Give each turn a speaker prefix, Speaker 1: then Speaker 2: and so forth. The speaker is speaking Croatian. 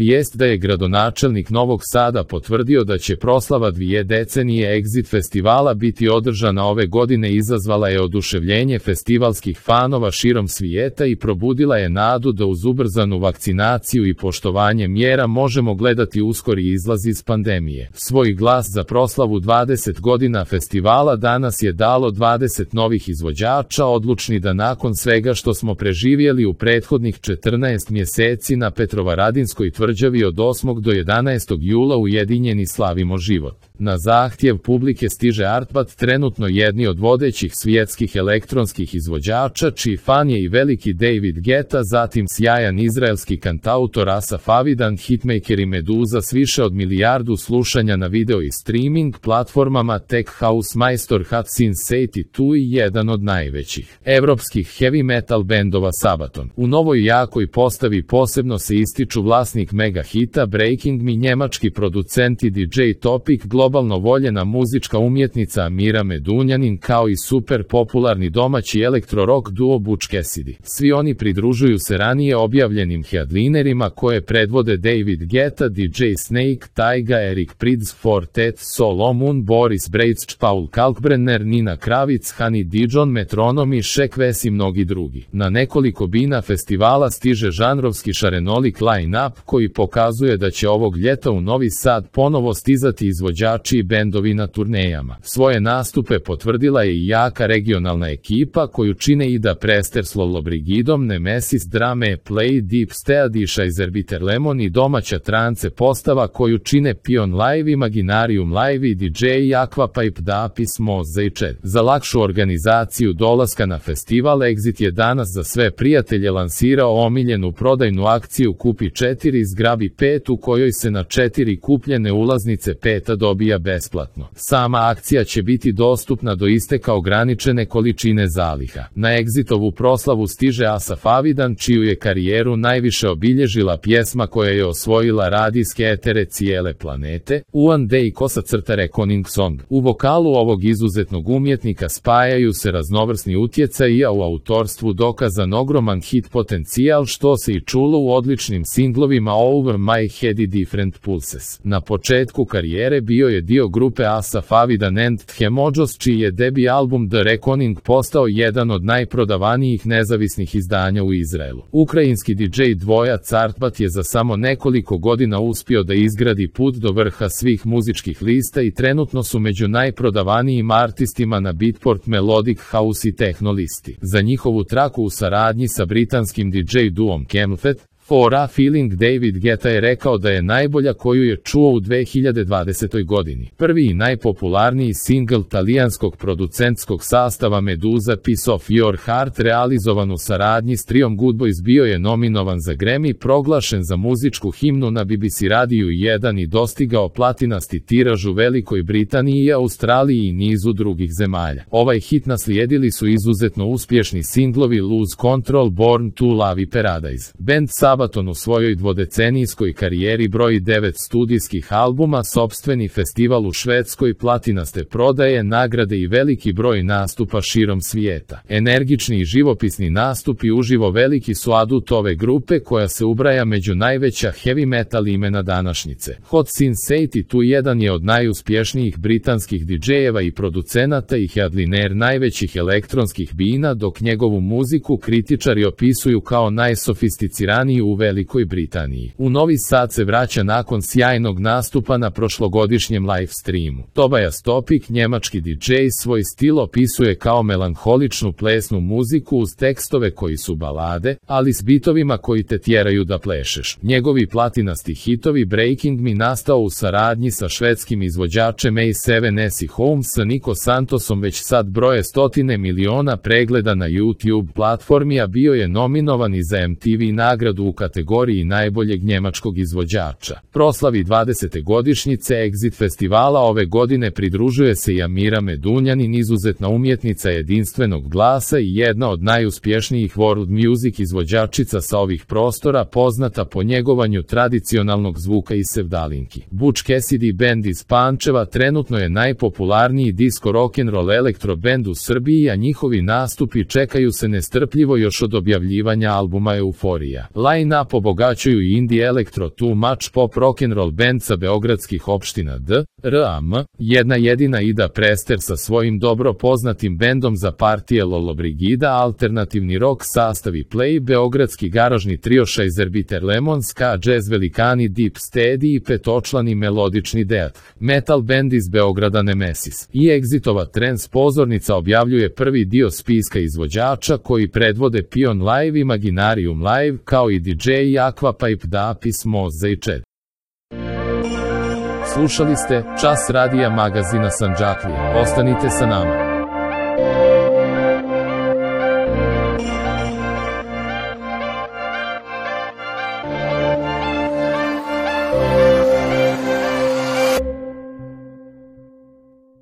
Speaker 1: Vijest da je gradonačelnik Novog Sada potvrdio da će proslava 2 decenije Exit festivala biti održana ove godine izazvala je oduševljenje festivalskih fanova širom svijeta i probudila je nadu da uz ubrzanu vakcinaciju i poštovanje mjera možemo gledati uskori izlaz iz pandemije. Svoj glas za proslavu 20 godina festivala danas je dalo 20 novih izvođača odlučni da nakon svega što smo preživjeli u prethodnih 14 mjeseci na Petrovaradinskoj tvrđavi od 8. do 11. jula ujedinjeni slavimo život. Na zahtjev publike stiže Artbat, trenutno jedni od vodećih svjetskih elektronskih izvođača, čiji fan je i veliki David Guetta, zatim sjajan izraelski kantautor Asaf Avidan, hitmaker i Meduza s više od milijardu slušanja na video i streaming platformama, tech house majstor Hot Since 82 i jedan od najvećih evropskih heavy metal bendova Sabaton. U novoj jakoj postavi posebno se ističu vlasnik mega hita Breaking Me, njemački producent i DJ Topic, globalno voljena muzička umjetnica Amira Medunjanin, kao i super popularni domaći elektro-rock duo Butch Cassidy. Svi oni pridružuju se ranije objavljenim headlinerima koje predvode David Guetta, DJ Snake, Tyga, Eric Prydz, Fortet, Solomon, Boris Brejc, Paul Kalkbrenner, Nina Kravic, Honey Dijon, Metronom i Shaq Wes i mnogi drugi. Na nekoliko bina festivala stiže žanrovski šarenolik line-up koji pokazuje da će ovog ljeta u Novi Sad ponovo stizati izvođači i bendovi na turnejama. Svoje nastupe potvrdila je i jaka regionalna ekipa koju čine Ida Prester s Lollobrigidom, Nemesis, Drame, Play, Deep Stead i Scheißerbiter Lemon i domaća trance postava koju čine Pion Live, Imaginarium Live i DJ Aquapipe, Dapis, Moza i Chet. Za lakšu organizaciju dolaska na festival Exit je danas za sve prijatelje lansirao omiljenu prodajnu akciju Kupi 4 zgrabi 5 u kojoj se na 4 kupljene ulaznice 5 dobija besplatno. Sama akcija će biti dostupna do isteka ograničene količine zaliha. Na Exitovu proslavu stiže Asaf Avidan, čiju je karijeru najviše obilježila pjesma koja je osvojila radijske etere cijele planete, One Day _Reckoning Song. U vokalu ovog izuzetnog umjetnika spajaju se raznovrsni utjecaji, a u autorstvu dokazan ogroman hit potencijal što se i čulo u odličnim singlovima Over My Head i Different Pulses. Na početku karijere bio je dio grupe Asaf Avidan and Themojos, čiji je debi album The Reckoning postao jedan od najprodavanijih nezavisnih izdanja u Izraelu. Ukrajinski DJ dvojac Artbat je za samo nekoliko godina uspio da izgradi put do vrha svih muzičkih lista i trenutno su među najprodavanijim artistima na Beatport, Melodic House i Techno listi. Za njihovu traku u saradnji sa britanskim DJ duom Camfet, For a Feeling, David Guetta je rekao da je najbolja koju je čuo u 2020. godini. Prvi i najpopularniji singl talijanskog producentskog sastava Meduza, Piece of Your Heart, realizovan u saradnji s triom Good Boys, bio je nominovan za Grammy, proglašen za muzičku himnu na BBC Radiju 1 i dostigao platinasti tiraž u Velikoj Britaniji i Australiji i nizu drugih zemalja. Ovaj hit naslijedili su izuzetno uspješni singlovi Lose Control, Born to Love i Paradise. Band Sabaton u svojoj dvodecenijskoj karijeri broji 9 studijskih albuma, sopstveni festival u Švedskoj, platinaste prodaje, nagrade i veliki broj nastupa širom svijeta. Energični i živopisni nastupi uživo veliki su adut ove grupe koja se ubraja među najveća heavy metal imena današnjice. Hot Since 82 jedan je od najuspješnijih britanskih DJ-eva i producenata i headliner najvećih elektronskih bina, dok njegovu muziku kritičari opisuju kao najsofisticiraniju u Velikoj Britaniji. U Novi Sad se vraća nakon sjajnog nastupa na prošlogodišnjem live streamu. Tobias Topic, njemački DJ, svoj stil opisuje kao melanholičnu plesnu muziku uz tekstove koji su balade, ali s bitovima koji te tjeraju da plešeš. Njegovi platinasti hitovi Breaking Me, nastao u saradnji sa švedskim izvođačem A7S i Holmes sa Nico Santosom, već sad broje stotine miliona pregleda na YouTube platformi, a bio je nominovan i za MTV nagradu u kategoriji najboljeg njemačkog izvođača. Proslavi 20. godišnjice Exit festivala ove godine pridružuje se i Amira Medunjanin, izuzetna umjetnica jedinstvenog glasa i jedna od najuspješnijih world music izvođačica sa ovih prostora, poznata po njegovanju tradicionalnog zvuka i sevdalinki. Butch Cassidy band iz Pančeva trenutno je najpopularniji disco rock'n'roll elektro band u Srbiji, a njihovi nastupi čekaju se nestrpljivo još od objavljivanja albuma Euforija. Line-up obogaćuju indie elektro too much pop rock'n'roll band sa beogradskih opština D.R.A.M, jedna jedina Ida Prester sa svojim dobro poznatim bendom za partije Lollobrigida, alternativni rock sastavi Play, beogradski garažni trio Šajzerbiter Lemon, ska jazz velikani Deep Steady i petočlani melodični death metal band iz Beograda Nemesis. I Exitova trance pozornica objavljuje prvi dio spiska izvođača koji predvode Pion Live, Imaginarium Live, kao i DJ Aquapipe, Dapis, Moza i Čed. Slušali ste Čas radija magazina Sandžaklija. Ostanite sa nama.